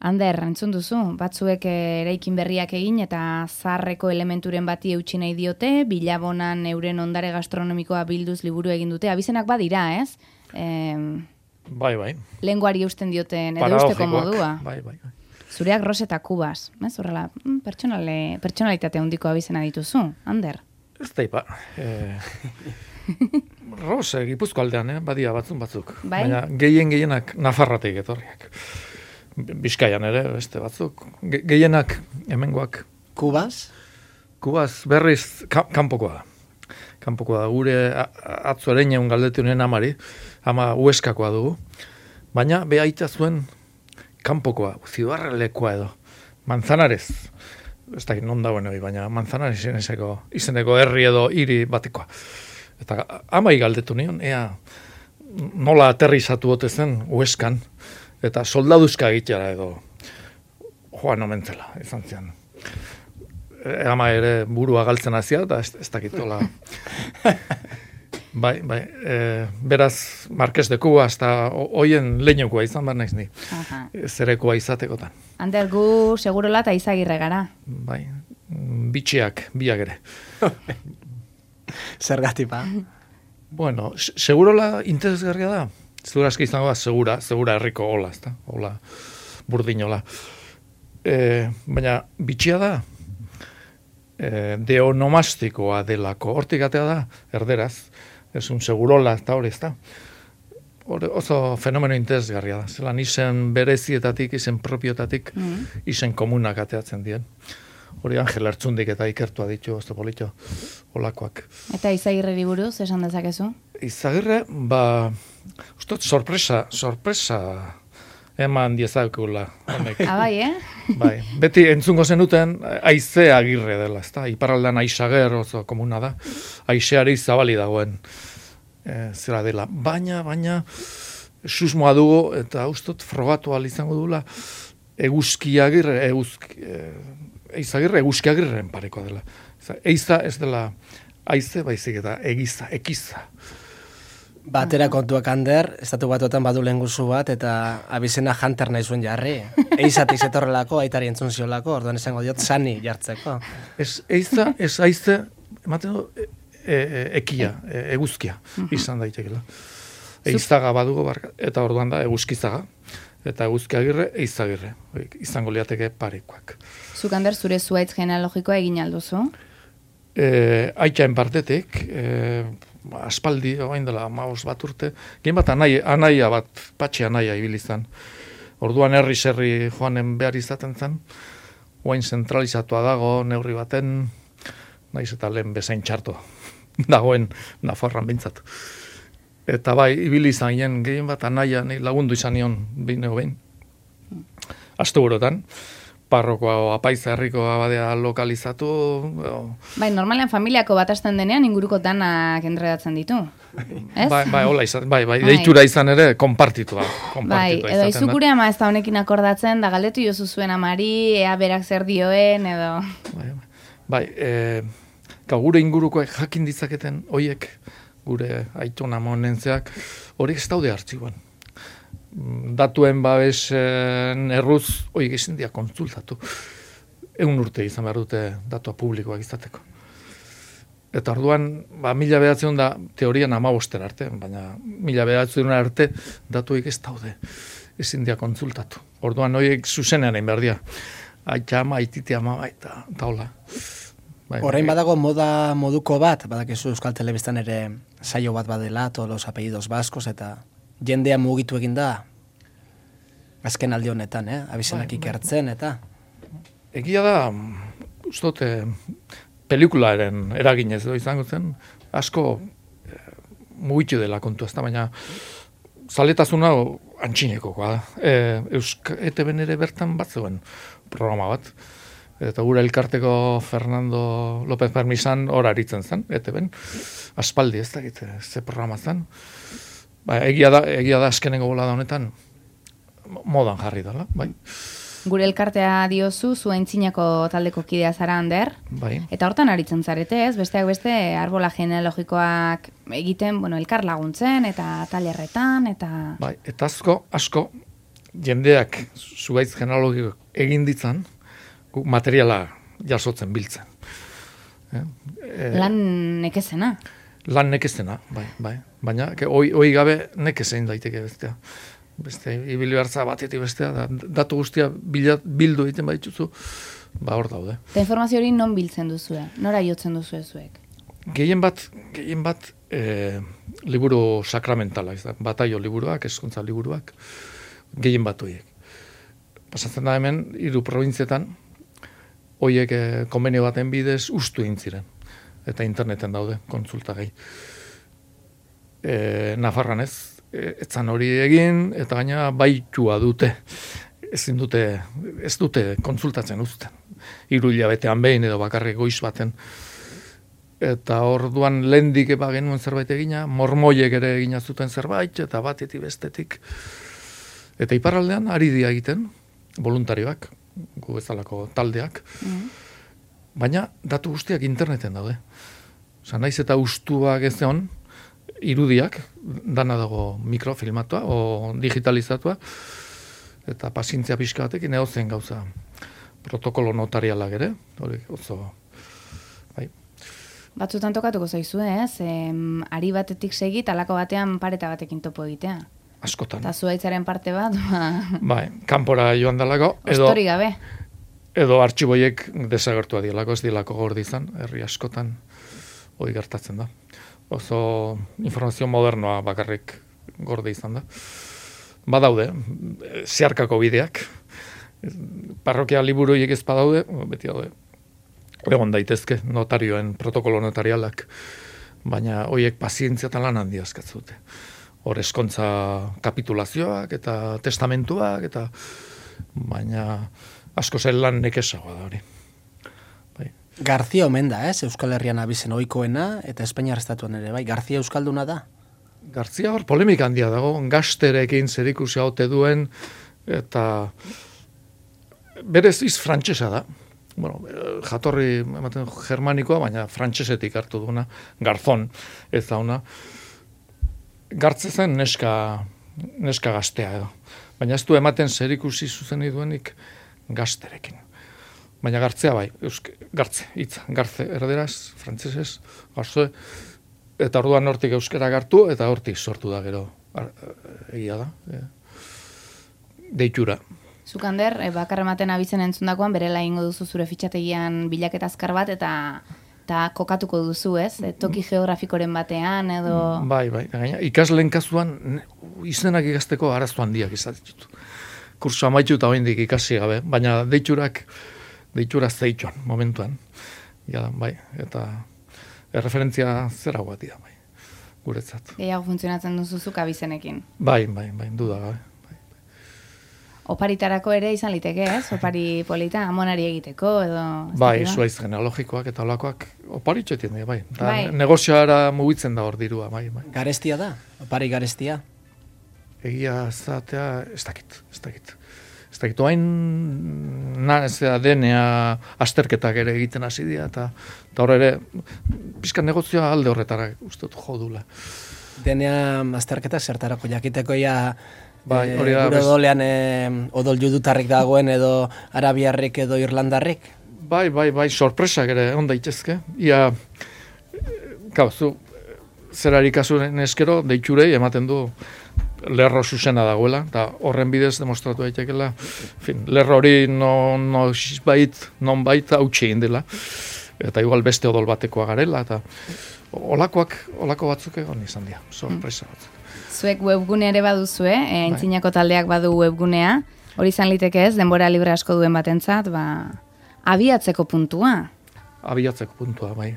Ander, entzun duzu, batzuek eraikin berriak egin eta zaharreko elementuren bati eutsi nahi diote, bilabonan euren ondare gastronomikoa bilduz liburu egin dute, abizenak badira, ez? Bai. Lenguari eusten dioten, edo eusteko modua. Bai. Zureak Ros eta Kubas, ez? Horrela, pertsonalitate handiko abizena dituzu, Ander? Ez da ipa. Ros, Gipuzko aldean, badia batzuk. Bai? Baina gehienak Nafarratik etorriak. Bizkaian ere, beste batzuk. Gehienak, hemengoak. Kubas Berriz, kanpokoa da. Kanpokoa da. Gure atzo ereinen galdetunen amari, ama Hueskakoa dugu. Baina, behaita zuen kanpokoa, Zibarrelekoa edo. Manzanares. Ez da, non dagoen hori, baina Manzanares izeneko herri edo hiri batekoa. Eta amai galdetu nion, ea nola aterrizatu bote zen Hueskan, eta soldaduzka egitera edo joan omentzela, izan zian. Ama ere burua galtzen hazia, eta ez dakitola. Bai, beraz, Marques de Cuba, hasta hoien leinokoa izan behar naiz ni. Zerekoa izatekotan. Ander, gu segurola eta Izagirre gara. Bai, bitxiak, biak ere. Zergatik ba? Bueno, segurola interesgarria da. Zura aski izango da, segura herriko hola, ezta? Hola, burdinola. Baina, bitxia da, deonomastikoa delako. Hortik atea da, erderaz, ez un segurola, eta hori, ezta? Oso fenomeno interesgarria da. Zelan izen berezietatik, izen propiotatik, izen komunak ateatzen dien. Hori Angel Artzundik eta ikertua ditu, ez da polito, olakoak. Eta Izagirreri buruz, esan dezakezu? Izagirre, ustot, sorpresa eman diezakula. Bai, Bai, beti entzungo zenuten Aize Agirre dela, ezta? Iparraldean Aizager oso komuna da, Aizeari zabali dagoen zera dela. Baina, susmoa dugu, eta ustot, frogatu izango dula, Eizagirre eguzkiagirren parekoa dela. Eiza ez dela aize, baizik eta ekiza. Batera kontuak Ander, estatu batuetan badu lenguzu bat, eta abizena Hunter nahi zuen jarri. Eizatik zetorrelako, aitari entzun ziolako, orduan esango diot Sani jartzeko. Ez eiza, ez aize, ematen du, ekia, eguzkia, izan daitekela. Eizaga badugu barka, eta orduan da eguzkizaga. Eta eguzkiagirre, Eizagirre. Izango liateke parekoak. Zuk, Ander, zure zuaitz genealogikoa egin alduzu? Aitzaen partetik, aspaldi, oain dela, 15 bat urte, gen bat anaia bat, patxe anaia ibilizan. Orduan herri joanen behar izaten zen, oain zentralizatua dago, neurri baten, naiz eta lehen bezain txarto dagoen Nafarroan bintzat. Eta bai, ibili izan gehien bat anaia lagundu izan nion behin. Asteburotan, parrokoa apaiza herriko abadea lokalizatu. Bai, normalean familiako bat hasten denean inguruko danak enredatzen ditu. Ez? Bai, hola izan, bai, deitura izan ere konpartitua. Bai, edo izukure ama ez da honekin akordatzen, da galdetu jozu zuen amari, ea berak zer dioen, edo... Bai, gure ingurukoek jakin ditzaketen, hoiek, gure aitona monentzeak, horiek ez daude hartzikoan. Datuen babesen erruz, horiek izan dia kontsultatu. 1 urte izan behar dute datua publikoak izateko. Eta orduan, 1900 da teorian 15 arte, baina 1900 arte datuik ez daude. Ezin dia kontsultatu. Orduan, horiek zuzenean egin behar dia. Aita ama, aitite ama, eta hola. Orain badago moduko bat, badakizu Euskal Telebistan ere saio bat badela, todos los apellidos vascos, eta jendea mugitu egin da, azken aldi honetan, abizenak ikertzen, eta... Egia da, ustot, pelikularen eraginez edo izango zen, asko mugitu dela kontu ezta, baina zaletasuna antxinekoa da. ETB ere bertan bat zegoen programa bat, eta gure elkarteko Fernando López Permisan hor aritzen zen, ETB-en, aspaldi ez dakit, ze programa zen. Egia da azkenengo bola da honetan, modan jarri dela, bai. Gure elkartea diozu, zuen txinako taldeko kidea zara, Ander. Bai. Eta hortan aritzen zarete, ez? Besteak beste, arbola genealogikoak egiten, elkar laguntzen, eta talerretan, eta... Bai, eta asko, jendeak zuhaitz genealogiko egin ditzan, guk materiala jasotzen biltzen. Lan nekezena. Lan nekezena, bai. Baina, hoi gabe nekezein daiteke bestea. Beste, ibili hartza batetik bestea, datu guztia bildu egiten baituzu, hor daude. Eta informazio hori non biltzen duzue? Nora jotzen duzue zuek? Gehien bat, liburu sakramentala, bataio liburuak, hezkuntza liburuak, gehien bat horiek. Pasatzen da hemen, 3 probintzietan, horiek konbenio baten bidez ustu egin ziren. Eta interneten daude, kontsultagai. Nafarran ez hori egin, eta gaina baitua dute. Ez dute kontsultatzen uzten. 3 hilabetean behin edo bakarrik goiz baten. Eta orduan lehendik genuen zerbait egina, mormoiek ere egina zuten zerbait, eta batetik bestetik. Eta iparraldean ari dia egiten, voluntarioak, gu bezalako taldeak, baina datu guztiak interneten daude. Osa, naiz eta ustuak ez egon, irudiak, dana dago mikrofilmatua o digitalizatua, eta pazientzia pixka batekin edozen gauza protokolo notarialak ere, hori oso, bai. Batzutan tokatuko zaizue, ez? Ari batetik segi, talako batean pareta batekin topo egitea. Askotan. Eta zuhaitzaren parte bat, bai, kanpora joan dalako, ostori gabe. Edo artxiboiek desagertua dielako, ez dielako gordi izan, herri askotan hori gertatzen da. Oso informazio modernoa bakarrik gorde izan da. Badaude, zeharkako bideak, parrokia liburuiek ez badaude, beti daude, egon daitezke notarioen protokolo notarialak, baina horiek pazientzia eta lan handia eskatzute. Hor eskontza kapitulazioak eta testamentuak, eta baina asko zen lan nekesagoa da hori. Bai. Garzia omen da, ez? Euskal Herrian abizen ohikoena eta Espainiar estatuan ere, bai? Garzia euskalduna da? Garzia hor polemika handia dago, gazterekin zerikusia ote duen, eta berez iz frantsesa da. Bueno, jatorri ematen germanikoa, baina frantsesetik hartu duena, garzon, ez da ona. Gartze zen neska gaztea edo. Baina ez du ematen zerikusi zuzeni duenik gazterekin. Baina gartzea bai, gartze, hitza, gartze, erderaz, frantzesez, gartze, eta orduan hortik euskara gartu, eta hortik sortu da gero, egia da, deitura. Zukander, bakar ematen abizen entzundakoan, berela ingo duzu zure fitxategian bilaketa azkar bat, eta kokatuko duzu, ez? Toki geografikoren batean, edo... Bai, gaina, ikasleen kasuan izenak ikasteko arazo handiak izaten ditu. Kurso amaitu eta oraindik ikasi gabe, baina deitura zeituan, momentuan. Ja, bai, eta erreferentzia zera guatia, bai, guretzat. Gehiago funtzionatzen duzuzuk abizenekin. Bai, duda gabe. Oparitarako ere izan liteke, ez? Opari polita, amonari egiteko, edo... Bai, zuaiz genealogikoak eta olakoak oparitxetien, bai. Negozioara mugitzen da hor dirua, bai. Garestia da? Opari garestia? Egia zatea, ez dakit. Oain, DNA asterketak ere egiten hasi dira, eta hor ere, pizka negozioa alde horretara uste dut jodula. DNA asterketak zertarako jakiteko Bai, hori da. Gure odolean odol judutarrik dagoen edo arabiarrik edo irlandarrik? Bai, sorpresak ere on daitezke. Ia, zu, zerari kasuren eskero, deiturei ematen du lerro zuzena dagoela, eta horren bidez demostratu daitekela, lerro hori non bait hautsi egin dela, eta igual beste odol batekoa garela, eta olako batzuk egon izan dira, sorpresa batzuk. Zuek webgunea ere baduzue, Aintzinako taldeak badu webgunea, hori izan liteke ez, denbora libre asko duen batentzat, abiatzeko puntua. Abiatzeko puntua, bai.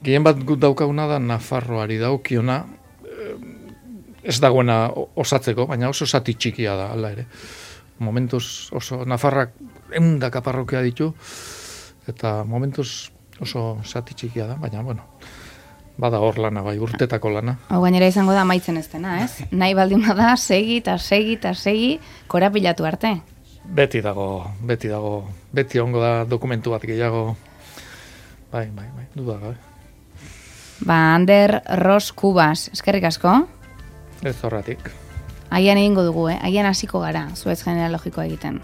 Gehien bat gut daukaguna da Nafarroari daukiona, ez dagoena osatzeko, baina oso zati txikia da, ala ere. Momentuz oso, Nafarrak 100 parrokia ditu, eta momentuz oso zati txikia da, baina, bueno, bada hor lana, bai, urtetako lana. Hau gainera izango da amaitzen ez dena, ez? Nahi baldin bada, segi, korapilatu arte. Beti ongo da dokumentu bat gehiago. Bai, duda gabe. Ander Ros Kubas, eskerrik asko. Ez horratik. Agian egingo dugu, agian hasiko gara, Suez genealogikoa egiten.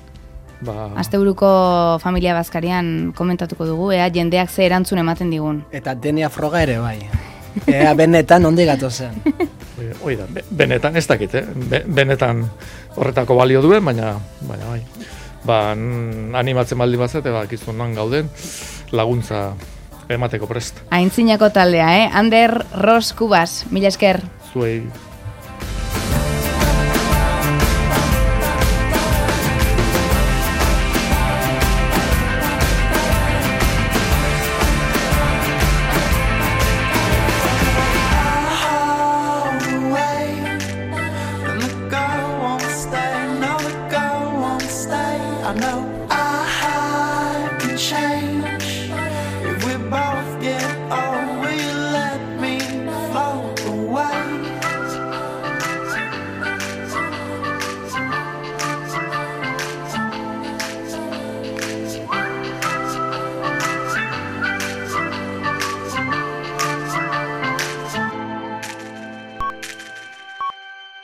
Asteburuko familia bazkarian komentatuko dugu, jendeak ze erantzun ematen digun. Eta DNA froga ere, bai. Benetan ondi gatozen. Oida, benetan ez dakit, benetan horretako balio duen, baina bai. Animatzen baldi bazete, kizunan gauden, laguntza emateko prest. Aintzinako taldea, Ander Ros Kubas, mila esker. Zuei. I know I can change.